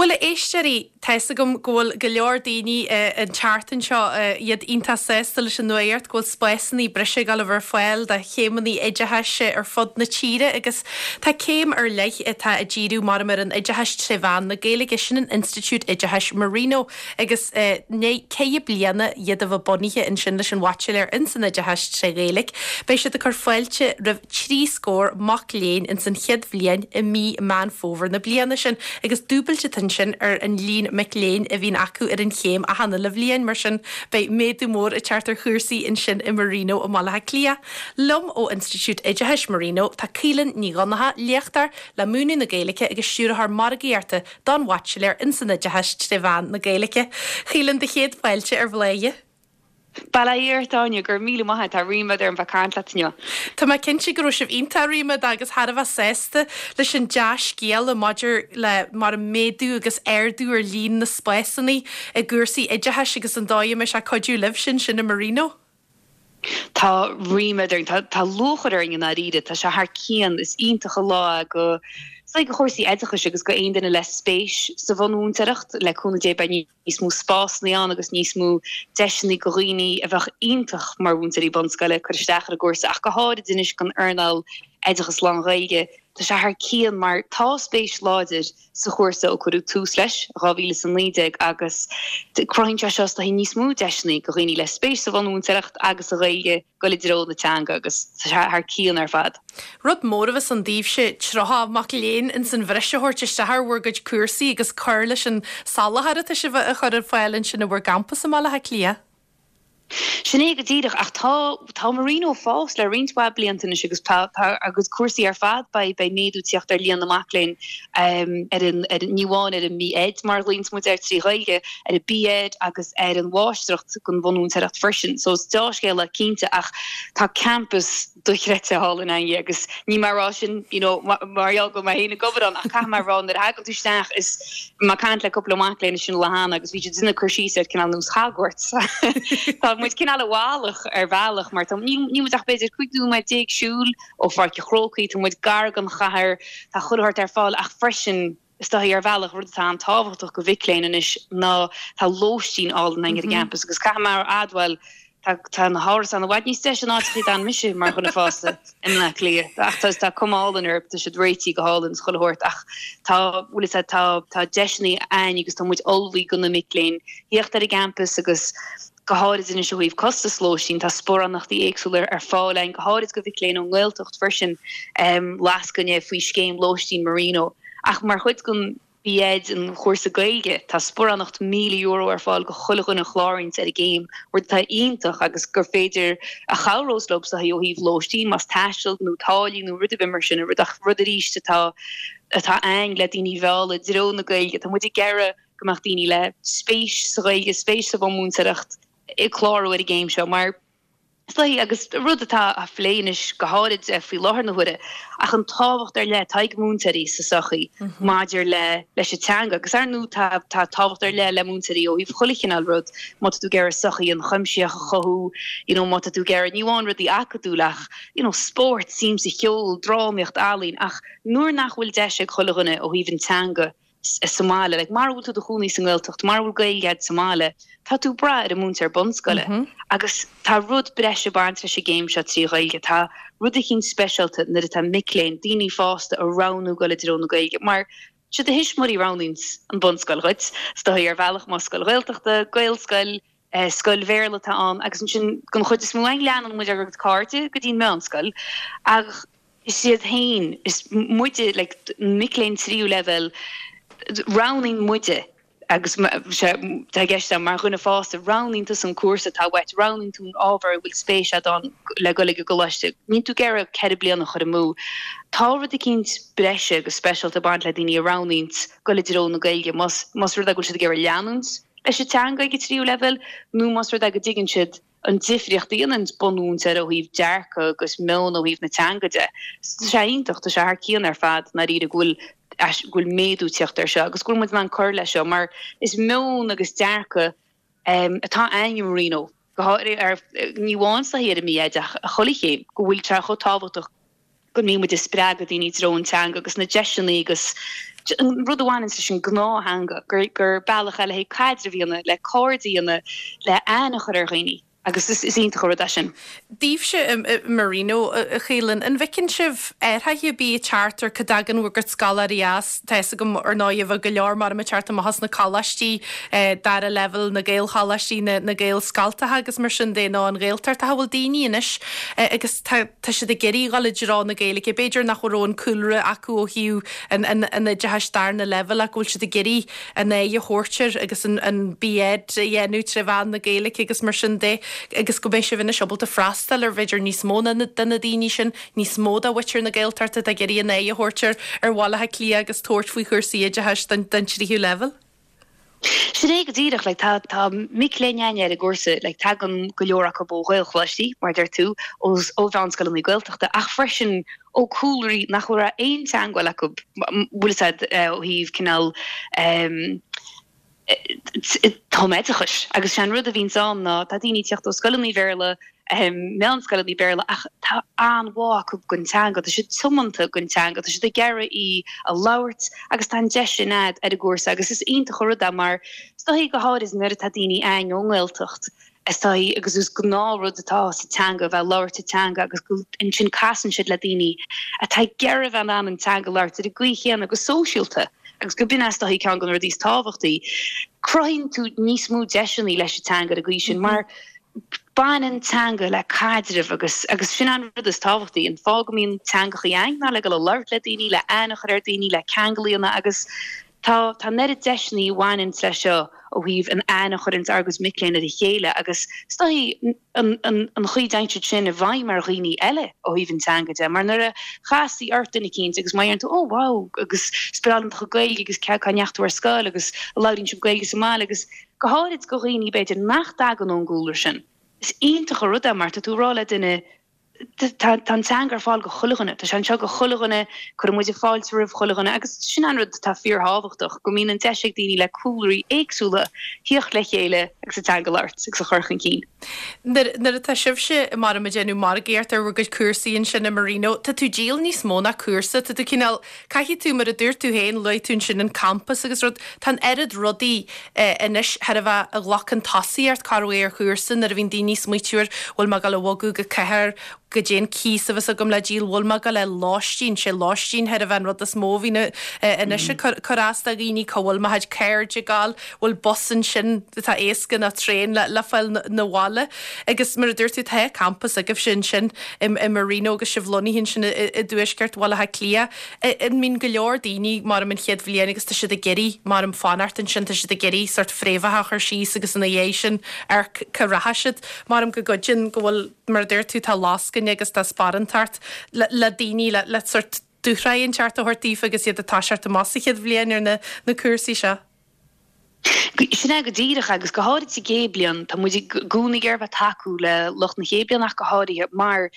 Bhuel, a éisteoirí, tá fhios agam go bhfuil go leor daoine an tseachtain seo, iad iontach sásta leis an nuaíocht go bhfuil spásanna breise ag dul a bheith ar fáil do chéimeanna oideachais ar fud na tíre agus tá céim ar leith atá ag díriú maram ar an oideachas tré mheán na Gaeilge, sin an Institiúid Oideachais Marino agus i ndiaidh 4 bliana iad a bheith bunaithe ansin leis an Bhaitsiléir ins an Oideachas tré Ghaeilge, beidh siad ag cur fáilte roimh 30 scór mac léinn ins an chéad bhliain i mí Meán Fómhair na bliana sin agus dúbailt atá ansin ar an líon mic léinn a bhíonn acu ar an chéim achan uile bhliain, mar sin beidh méadú mór ag teacht ar chúrsaí ansin i Marino i mBaile Átha Cliath. Liom ó Institiúid Oideachais Marino tá Caoileann Ní Dhonnchadha, léachtóir le múineadh na Gaeilge agus Stiúrthóir Margaíochta don Bhaitsiléir ins an Oideachas tré mheán na Gaeilge. Caoileann, do chéad fáilte ar Bhladhaire. Bail ó Dhia ort, Áine, go raibh míle maith a't, tá ríméad orm bheith caint leat inniu. Tá mé cinnte go raibh sibh iontach ríméadach agus thar a bheith sásta leis an dea-scéala maidir le mar an méadú agus ardú ar líon na spásanna i gcúrsaí oideachais agus an dóigh a mbeidh sé ag cuidiú libhse ansin i Marino. Tá ríméad orainn, tá tá lúcháir orainn i ndáiríre, tá sé thar cionn, is iontach an lá é go, is dóigh, do chúrsaí oideachais agus go aon duine le spéis sa bhunmhúinteoireacht, le cúnamh Dé beidh níos mó spásanna ann agus níos mó deiseanna go dhaoine a bheadh iontach mar mhúinteoirí bunscoile cur isteach ar an gcúrsa ach go háirid anois don earnáil oideachas lán-Ghaeilge. Tá sé thar cionn mar tá spéis láidir sa chúrsa ó cuireadh tús leis i 2019 agus cruthaíonn sé seo is dóigh níos mó deiseanna go dhaoine le spéis sa bhunmhúinteoireacht agus sa Ghaeilge. goil i dtreo na teanga agus tá sé thar cionn ar fad. Rud mór a bheas ann daoibhse 30 mac léinn ins an bhreis a thabhairt isteach ar bhur gcuid cúrsaí agus cur leis an soláthar atá sibh a chur ar fáil ansin i bhur gcampas i mBaile Átha Cliath. Sin é go díreach, ach tá, tá Marino ag fás le roinnt mhaith blianta anois agus tá, tá ár gcuid cúrsaí ar fad, beidh, beidh méadú ag tíocht ar líon na mac léinn ar an, ar an, ní amháin ar an B.Ed mar a ghlaonns muid air trí Ghaeilge, ar an B.Ed agus ar an Mháistreacht den Bhunmhúinteoireacht freisin. So is deá-scéala cinnte ach tá campas dochreidte thall againne agus níl mé ag rá sin you know mar gheall go bhfuil mé féin ag obair ann ach caithfidh mé a rá nuair a thagann tú isteach is bhí mé ag caint le cúpla mac léinn ansin an lá cheana agus bhí siad ag déanamh cur síos ar cineál nós Hogwarts. Tá muid cineál i bhfalach ar bhealach mar tá níl muid ach b'fhéidir 15 nóiméad siúil ó Pháirc an Chrócaigh, tá muid gar don chathair, tá chuile shórt ar fáil ach freisin Is dóigh, ar bhealach, rud atá an-tábhachtach go mhic léinn anois ná tá lóistín álainn againn ar an gcampas agus caithfidh mé a admháil, tá tá na hárasáin i bhfad níos deise ná áiteachaí a d'fhan mise mar dhuine fásta i mBleá Cliath. Ach tá tá cuma álainn orthu, tá siad réitithe go hálainn is chuile shórt ach tá, bhfuil fhios a'd, tá tá deiseanna a'ainn agus tá muid ullmhaithe go na mic léinn thíocht ar an gcampas agus go háirid anois ó thaobh costas lóistín, tá sparánachtaí éagsúla ar fáil a'ainn, go háirid go mhic léinn ón nGaeltacht freisin, lascaine faoi scéim lóistín Marino. Ach mar chuid den B.Ed, an chúrsa Gaeilge, tá sparánacht €1,000 ar fáil go chuile dhuine a chláraíonns ar an gcéim, rud atá iontach agus gur féidir a chabhrós leo is dóigh ó thaobh lóistín, más taisteal nó táillí nó rud ar bith mar sin, rud ach rud arís atá atá a'ainn le daoine a mhealladh i dtreo na Gaeilge. Tá muid ag iarraidh go mbeadh daoine le spéis sa Ghaeilge, spéis sa bhunmhúinteoireacht ag clárú ar an gcéim seo mar is dóigh, agus rud atá á phlé anois go háirid faoi láthair na huaire, ach an tábhacht ar leith atá ag múinteoirí sa sochaí maidir le leis an teanga. Agus ar ndóigh tá tá tábhacht ar leith le múinteoirí ó thaobh chuile chineál rud, má tá tú ag iarraidh sochaí ionchuimsitheach a chothú, you know má tá tú ag iarraidh ní amháin rudaí acadúil ach you know spórt, suim sa cheol, drámaíocht, ealaín, ach nuair nach bhfuil deis ag chuile dhuine ó thaobh an teanga sa mbaile. Like, mara bhfuil tú i do chónaí sa nGaeltacht, mara bhfuil Gaeilge agat sa mbaile, tá tú ag brath ar an múinteoir bunscoile. Agus tá rud breise ag baint leis an gcéim seo trí Ghaeilge. Tá rud eicínt speisialta nuair atá mic léinn, daoine fásta ag roghnú dul i dtreo na Gaeilge. Mar siad do thuismitheoirí a roghnaíonns an bunscoil dhuit, is dóigh ar bhealach, más scoil Ghaeltachta, Gaelscoil, scoil Bhéarla atá ann agus ansin den chuid is mó againn leanann muid ár gcuid cairde go dtí an meánscoil ach is iad féin, is muide, like, mic léinn tríú leibhéal, roghnaíonn muide agus sé tá i gceist agam mar dhuine fásta, roghnaíonn tusa an cúrsa atá uait, roghnaíonn tú an ábhar a bhfuil spéis agat ann le dul ag an gcoláiste, níl tú ag iarraidh 4 bliana a chur amú. Tá rud eicínt breise agus speisialta ag baint le daoine a roghnaíonns dul i dtreo na Gaeilge, más más rud é go bhfuil siad ag iarraidh leanúint leis an teanga ag an tríú leibhéal nó más rud é go dtuigeann siad an difríocht a dhéanann bunmhúinteoir ó thaobh dearcadh agus meon ó thaobh na teanga de. Tá sé iontach, tá sé thar cionn ar fad i ndáiríre go bhfuil go bhfuil méadú ag tíocht air seo agus go bhfuil muid in ann cur leis seo mar is meon agus dearcadh atá a'ainn i Marino, go háirithe ar, ní amháin sa ar an mB.Ed ach chuile chéim, go bhfuil sé chomh tábhachtach. go mbíonn muid ag spreagadh daoine i dtreo an teanga agus na deiseanna agus an rud a bhaineanns leis an ngnáth-theanga, gur gur bealach é le haghaidh caidreamh a dhéanamh, le cairde a dhéanamh, le aithne a chur ar dhaoine agus is iontach an rud é sin. Daoibhse i Marino, a Chaoilinn, an bhfeiceann sibh athruithe ar bith ag teacht ar cá dtagann bhur gcuid scoláirí as? Tá fhios agam ar ndóigh bheadh go leor maram ag teacht amach as na coláistí dara leibhéal, na Gaelcholáistí, na Gaelscoltacha agus mar sin de nó an Ghaeltacht ach an bhfuil daoine anois agus tá tá siad ag iarraidh dhul i dtreo na Gaeilge, b'fhéidir nach raibh an cúlra acu ó thaobh an an an oideachais darna leibhéal ach go bhfuil siad ag iarraidh an aghaidh a thabhairt air agus an an B.Ed a dhéanamh tré mheán na Gaeilge agus mar sin de agus go mbeidh sibh anois ábalta freastal ar bh'fhéidir níos mó ná de na daoine sin, níos mó de mhuintir na Gaeltachta atá ag iarraidh an aghaidh a thabhairt ar ar Bhaile Átha Cliath agus tabhairt faoi chúrsaí oideachais don don tríú leibhéal. Sin é go díreach, like, tá, tá mic léinn againne ar an gcúrsa, like, tagann go leor acu ó Ghaelcholáistí, mar a deir tú, ó, ó mheánscoileanna Gaeltachta, ach freisin ó cúlraí nach raibh aon teangmháil acu, bhfuil fhios a'd, ó thaobh cineál, em, tumoideachais. Agus sé an rud a bhíonns ann ná tá daoine ag tíocht ó scoileanna Bhéarla, meánscoileanna Béarla ach tá an-bhá acu don teanga, tá siad tiomanta don teanga, tá siad ag iarraidh í a labhairt agus tá an deis sin a'd ar an gcúrsa agus is iontach an rud é mar is dóichí go háirid nuair atá daoine a'ainn ón nGaeltacht is dóichí agus is gnáthrud atá sa teanga a bheith ag labhairt an teanga agus go ansin casann siad le daoine atá ag iarraidh a bheith in ann an teanga a labhairt ar an gcaoi chéanna go sóisialta agus go b'in é is dóichí ceann de na rudaí is tábhachtaí. Cruthaíonn tú níos mó deiseanna leis an teanga ar an gcaoi sin mar Baineann teanga le caidreamh agus agus sin an rud is tábhachtaí. An fáth go mbíonn teangachaí a'ainn ná le dul a labhairt le daoine, le aithne a chur ar daoine, le ceangal a dhéanamh agus tá tá an oiread deiseanna a bhaineanns leis seo ó thaobh an aithne a chuireanns ár gcuid mic léinn ar a chéile agus is dóichí an an an chaoi a dtéann siad sin i bhfeidhm ar dhaoine eile ó thaobh an teanga de mar nuair a chasfaí ort duine eicínt agus má deireann tú oh wow agus is breá liom do chuid Gaeilge agus cá cá ndeachaigh tú ar scoil agus labhraíonn sibh Gaeilge sa mbaile agus Go háirid do dhaoine b'fhéidir nach dtagann ón gcúlra sin. Is iontach an rud é mar tá tú ag rá le duine tá tá an teanga ar fáil do chuile dhuine, tá sé anseo do chuile dhuine, cuireann muid fáilte roimh chuile dhuine agus sin an rud atá fíorthábhachtach, go mbíonn an deis ag daoine le cúlraí éagsúla thíocht le chéile agus an teanga a labhairt agus a chur chun cinn. Nuair nuair atá sibhse maram ag déanamh margaíocht ar bhur gcuid cúrsaí ansin i Marino, tá tú ag díol níos mó ná cúrsa, tá tú cineál Caithfidh tú, mar a dúirt tú féin, luaigh tú ansin an campas agus rud, tá an oiread rudaí anois chóir a bheith a ghlacann tosaíocht corruair ar chúrsa nuair a bhíonn daoine ag smaoitiú ar bhfuil mé ag dul a bhogadh go cathair, goidé an cíos a bheas agam le díol, bhfuil mé ag dul le lóistín, sé lóistín chóir a bheith an rud is mó a bhíonn anois ag cur as do dhaoine, cá bhfuil mo chuid cairde ag dul, bhfuil bus ansin atá éasca nó traein le fáil 'na bhaile. Agus mar a dúirt tú, tá campas agaibhse ansin i Marino agus sibh lonnaithe ansin i dtuaisceart Bhaile Átha Cliath. An mbíonn go leor daoine maram an chéad bhliain agus tá siad ag iarraidh maram fanacht ansin, tá siad ag iarraidh sórt fréamhacha a chur síos agus ina dhiaidh sin amharc cá rachaidh siad. Maram go gcuidíonn go bhfuil, mar a dúirt tú, tá lascaine agus tá sparántacht le daoine le sórt dúshraith inteacht a thabhairt daofa agus iad ag toiseacht amach sa chéad bhliain ar na cúrsaí seo. Sin é go díreach, agus go háirid sa gcéad bliain, tá muid i gcónaí ag iarraidh bheith ag tacú le lucht na chéad bliana ach go háirithe, mar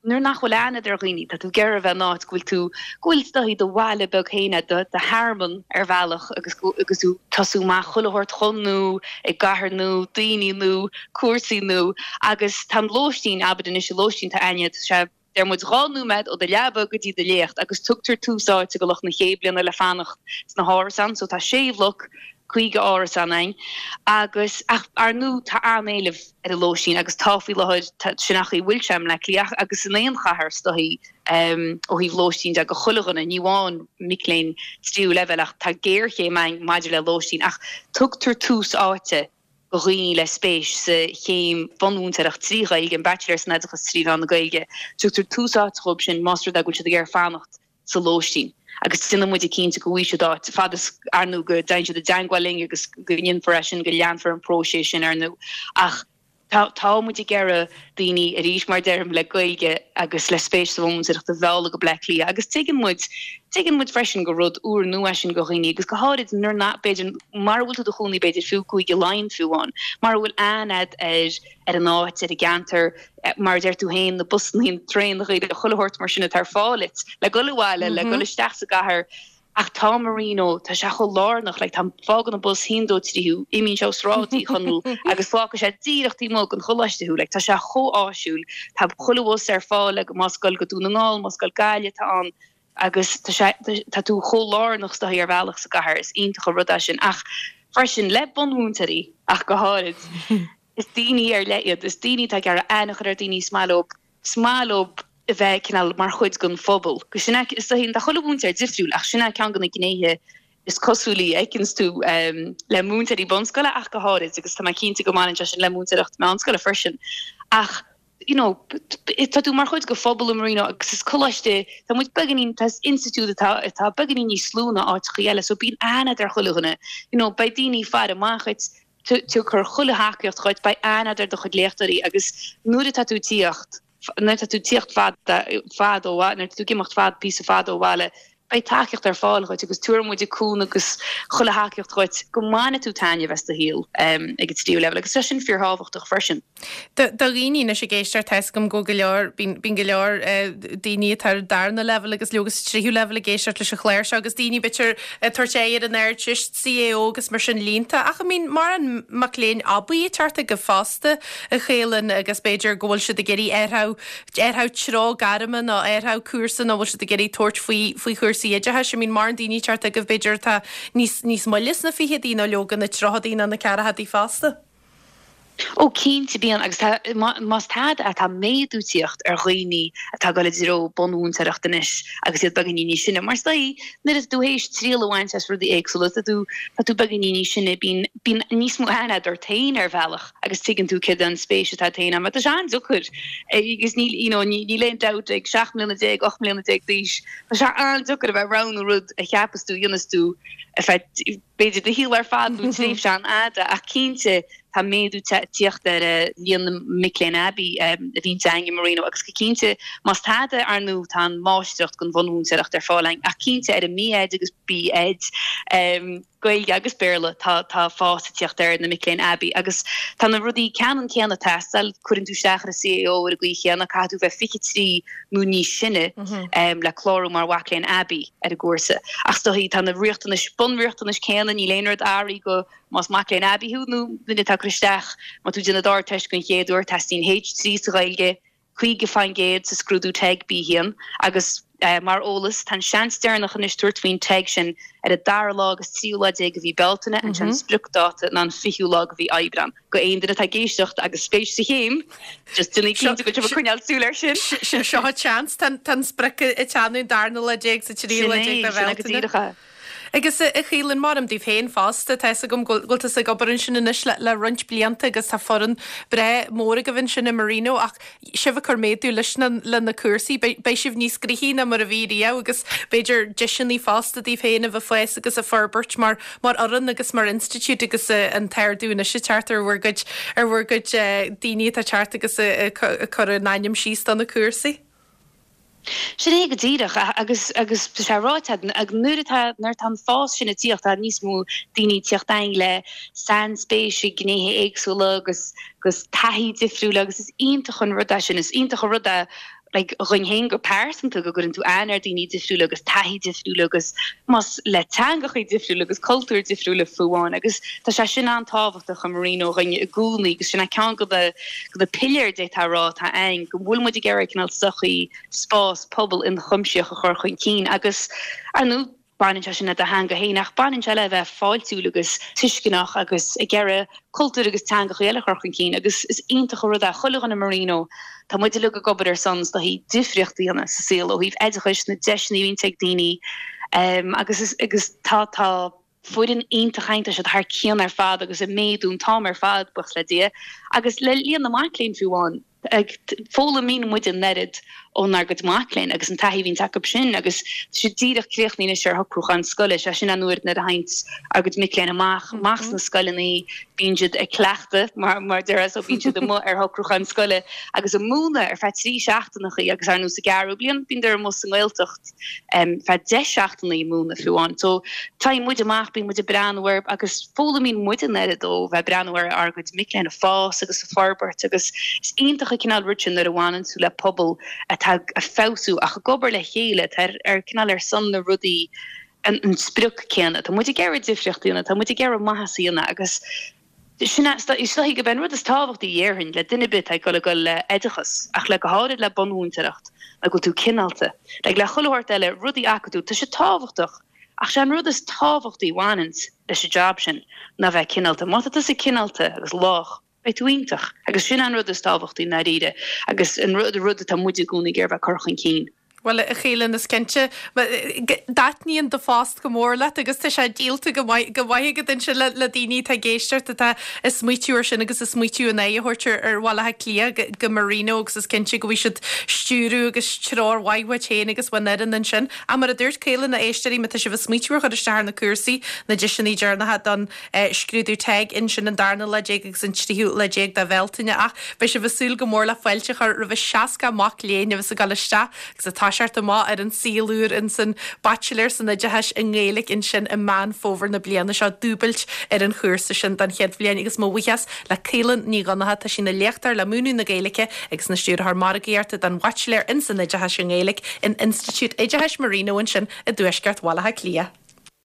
nuair nach bhfuil aithne a'd ar dhaoine, tá tú ag iarraidh a bheith in áit go bhfuil tú, go bhfuil is dóichí do bhaile beag féin a'd, do thearmann ar bhealach agus agus tú ag tosú amach chuile shórt chun nua, i gcathair nua, daoine nua, cúrsaí nua agus tá an lóistín, abair anois, an lóistín atá a'inne, tá sé. Deir muid 2 nóiméad ó do leaba go dtí do léacht agus tugtar tús áite go lucht na chéad bliana le fanacht sna hárasáin so tá sé bhloc, 50 árasán a'inn agus ach ar ndú tá an-éileamh ar an lóistín agus tá faoi láthair tá sin an chaoi a bhfuil sé i mBleá Cliath agus in aon chathair is dóichí ó thaobh lóistín de go chuile dhuine ní amháin mic léinn tríú leibhéal ach tá géarchéim a'inn maidir le lóistín ach tugtar tús áite do dhaoine le spéis sa chéim bhunmhúinteoireacht 3 Ghaeilge, an Baitsiléir san Oideachas 3 mheán na Gaeilge. Tugtar tús áite dhóibh sin más rud é go bhfuil siad ag iarraidh fanacht sa lóistín agus déanann muid cinnte go bhfaighidh siad áit, fad is, ar ndú, go dtéann siad i dteangmháil linn agus go ndéanfar é sin, go leanfar an próiseas sin, ar ndú. Ach tá, tá muid ag iarraidh daoine, arís mar a deirim, le Gaeilge agus le spéis sa bhunmhúinteoireacht a mhealladh go Bleá Cliath agus tuigeann muid, tuigeann muid freisin gur rud úr nua é sin do dhaoine agus go háirid nuair nach, b'fhéidir, mara bhfuil tú i do chónaí b'fhéidir fiú i gCúige Laighean fiú amháin, mara bhfuil aithne a'd ar ar an áit, ar an gceantar, mar a deir tú féin, na busannaí, na traenacha, chuile shórt mar sin atá ar fáil duit le dul abhaile, le dul isteach sa gcathair. Ach tá Marino, tá sé chomh lárnach, like tá, fágann an bus haon dó trí thú, imíonn sé ó Sráid Uí Chonaill agus fágfaidh sé díreach taobh amuigh den choláiste thú, like tá sé chomh áisiúil, tá chuile bhus ar fáil ag, más ag goil go Dún na nGall, más ag goil Gaillimh atá ann agus tá sé, tá tú chomh lárnach is dóichí ar bhealach sa gcathair, is iontach an rud é sin. Ach freisin le bunmhúinteoirí ach go háirid, is daoine ar leith iad, is daoine atá ag iarraidh aithne a chur ar daoine, is maith leo, is maith leo a bheith cineál mar chuid den phobal. Agus sin é, is dóichí, tá chuile mhúinteoir difriúil ach sin é ceann de na gnéithe is cosúlaí a fheiceanns tú le múinteoirí bunscoile ach go háirid agus tá mé cinnte go mbaineann sé sin le múinteoireacht meánscoile freisin. Ach you know, tá tú mar chuid de phobal i Marino agus is coláiste, tá muid beagáinín, tá is institiúid atá atá beagáinín níos lú ná áiteachaí eile so bíonn aithne agat ar chuile dhuine, you know, beidh daoine ag faire amach dhuit, tabharfar chuile thacaíocht dhuit, beidh aithne agat ar do chuid léachtóirí agus nuair atá tú ag tíocht, nuair atá tú ag tíocht fad, fad ó bhaile, nuair atá tú ag imeacht fad, píosa fada ó bhaile, beidh tacaíocht ar fáil dhuit agus tabharfaidh muid cúnamh agus chuile thacaíocht dhuit go mbainfidh tú taitneamh as do shaol ag an tríú leibhéal agus tá sin fíorthábhachtach freisin. Do dhaoine anois ag éisteacht, tá 'fhios agam go bhfuil go leor, bíonn go leor daoine atá ar an darna leibhéal agus leoga sa tríú leibhéal ag éisteacht leis an chlár seo agus daoine b'fhéidir ag tabhairt aghaidh ar an Ardteist, CAO agus mar sin líonta ach an mbíonn mórán mac léinn aibí ag teacht chugaibh fosta a Chaolann agus b'fhéidir go bhfuil siad ag iarraidh athrú, athrú treo gairme nó athrú cúrsa nó bhfuil siad ag iarraidh tabhairt faoi, faoi chúrsaí oideachais. An mbíonn mórán daoine ag teacht chugaibh b'fhéidir atá níos, níos moille sna ficheadaí nó leoga na tríochadaí nó na ceathrachaidí fosta. Ó cinnte bíonn agus tá, más tada é tá méadú ag tíocht ar dhaoine atá ag dul i dtreo bunmhúinteoireacht anois agus iad beagáinín níos sine. Mar is dóigh nuair atá tú théis triail a bhaint as rudaí éagsúla tá tú, tá tú beagáinín níos sine bíonn, bíonn níos mó aithne agat ort féin ar bhealach agus tuigeann tú céard é an spéis atá agat féin ann mar tá sé an-deacair agus níl, you know, níl aon dabht ag 17 mbliana, 18 mbliana d'aois tá sé an-deacair a bheith ag roghnú rud a cheapas tú a dhéanfas tú ar feadh b'fhéidir do shaol ar fad nó tréimhse an-fhada ach cinnte tá méadú ag tíocht ar líon na mic léinn aibí a bhíonn againn i Marino agus go cinnte más tada ar ndóigh tá an mháistreacht den bhunmhúinteoireacht ar fáil againn ach cinnte ar an B.Ed agus B.Ed Gaeilge agus Béarla tá tá fás ag tíocht ar na mic léinn aibí agus tá na rudaí ceannann céanna ag teastáil cuireann tú isteach ar an CAO ar an gcaoi chéanna caithfidh tú bheith 23 nó níos sine le clárú mar mhac léinn aibí ar an gcúrsa. Ach is dóichí, tá na riachtanais, bunriachtanais céanna, níl aon rud athraithe go más mac léinn aibí thú nó duine atá ag cur isteach, má tá tú ag déanamh d'Ardteist den chéad uair, teastaíonn H3 sa Ghaeilge, 50% sa scrúdú TEG B1 agus mar eolas, tá an seans deireanach anois tabhairt faoin TEG sin ar an dara lá agus tríú lá déag de mhí Bealtaine, an sé an spriocdáta ná an fichiú lá de mhí Aibreán. Go aon duine atá ag éisteacht agus spéis sa chéim, just déanaigí cinnte go bhfuil sibh ag coinneáil súil air sin. Seo an seans, tá an sprioc ag teannadh an darna lá déag sa tríú lá déag de Sin é, sin é go díreach é. Agus a Chaolann, maidir daoibh féin fosta, tá 'fhios agam go bhfuil tusa ag obair ansin anois le roinnt blianta agus tá foireann breá mór agaibh ansin i Marino ach sibh ag cur méadú leis na le na cúrsaí, beidh sibh níos gnoithí ná mar a bhí riamh agus b'fhéidir deiseanna fosta daoibh féin a bheith ag fás agus ag forbairt mar mar fhoireann agus mar institiúid agus an t-ardú anois ag teacht ar bhur gcuid ar bhur gcuid daoine atá ag teacht agus ag cur a n-ainm síos do na cúrsaí. Sin é go díreach agus agus tá sé ráite ag nuair atá nuair atá an fás sin ag tíocht tá níos mó daoine ag tíocht againn le sainspéis i ngnéithe éagsúla agus agus taithí difriúla agus is iontach an rud é sin. Is iontach an rud é like dhuinn féin go pearsanta go gcuireann tú aithne ar daoine difriúla agus taithí difriúla agus más le teangachaí difriúla agus cultúir difriúla fiú amháin agus tá sé sin an-tábhachtach i Marino dhuinn i gcónaí agus sin é ceann de na de na piléir d'fhéadfá a rá atá againn go bhfuil muid ag iarraidh cineál sochaí spás pobal ionchuimsitheach a chur chun cinn agus ar ndóigh Baineann sé sin le do theanga féin ach baineann sé le bheith fáiltiúil agus tuisceanach agus ag iarraidh cultúr agus teangacha eile a chur chun cinn agus is iontach an rud é chuile dhuine i Marino, tá muid uilig ag obair ar son is dóichí difríocht a dhéanamh sa saol ó thaobh oideachais, na deiseanna a bhíonns ag daoine agus is agus tá tá foireann iontach againn, tá siad thar cionn ar fad agus ag méadú an t-am ar fad, buíochas le Dia, agus le líon na mac léinn fiú amháin. Foghlaimíonn muid an oiread ónár gcuid mac léinn agus an taithí a bhíonns acu sin agus tá siad díreach críochnaithe anois ar shocrúchán scoile, sé sin an uair nuair a théanns ár gcuid mic léinn amach, amach sna scoileanna, bíonn siad ag cleachtadh mar mar déarfá so bíonn siad amuigh ar shocrúchán scoile agus ag múineadh ar feadh 3 seachtaineachaí agus ar ndóigh sa gceathrú bliain bíonn amuigh sa nGaeltacht. feadh 10 seachtainí ag múineadh fiú amháin. So téann muid amach, bíonn muid ag breathnú air agus foghlaimíonn muid an oiread ó bheith ag breathnú ar ár gcuid mic léinn ag fás agus ag forbairt agus is iontach an cineál rud sin nuair a bhaineann tú le pobal atá ag feabhsú ach ag obair le chéile atá ar ar cineál ar son na rudaí. an sprioc céanna. Tá muid ag iarraidh difríocht a dhéanamh, tá muid ag iarraidh maitheas a dhéanamh agus sin é, is dóichí gurb é an rud is tábhachtaí a dhéarfainn le duine ar bith atá ag dul ag dul le oideachas ach le go háirid le bunmhúinteoireacht ná go bhfuil tú cineálta. Like le chuile shórt eile, rudaí acadúil, tá sé tábhachtach ach sé an rud is tábhachtaí a bhaineanns leis an job sin ná bheith cineálta. Má tá tusa cineálta agus lách, beidh tú iontach agus sin an rud is tábhachtaí i ndáiríre agus an rud rud atá muid i gcónaí ag iarraidh bheith ag cur chun cinn. Bhuel, a Chaoilfhionn, is cinnte, dtaitníonn do phost go mór leat agus tá sé díolta go maith go maith agat ansin le le daoine atá ag éisteacht atá ag smaoitiú ar sin agus ag smaoitiú a n-aghaidh a thabhairt ar ar Bhaile Átha Cliath go Marino agus is cinnte go bhfaighidh siad stiúradh agus treoir mhaith uait féin agus ón fhoireann ansin. Ach mar a dúirt Caoilfhionn, a éisteoirí, má tá sibh ag smaoitiú ar chur isteach ar na cúrsaí, na deiseanna deireanacha don scrúdú TEG ansin an darna lá déag agus an tríú lá déag de Bhealtaine ach beidh sibh ag súil go mór le fáilte a chur roimh a 60 mac léinn a bheas ag dul isteach agus ag toiseacht amach ar an saol úr insan Baitsiléir san Oideachas i nGaeilge ansin i Meán Fómhair na bliana seo, dúbailt ar an chúrsa sin don chéad bhliain agus mo bhuíochas le Caoilfhionn Ní Dhonnchadha, tá sí ina léachtóir le múineadh na Gaeilge agus ina stiúrthóir margaíochta don Bhaitsiléir insan Oideachas i nGaeilge in Institiúid Oideachais Marino ansin i dtuaisceart Bhaile Átha Cliath.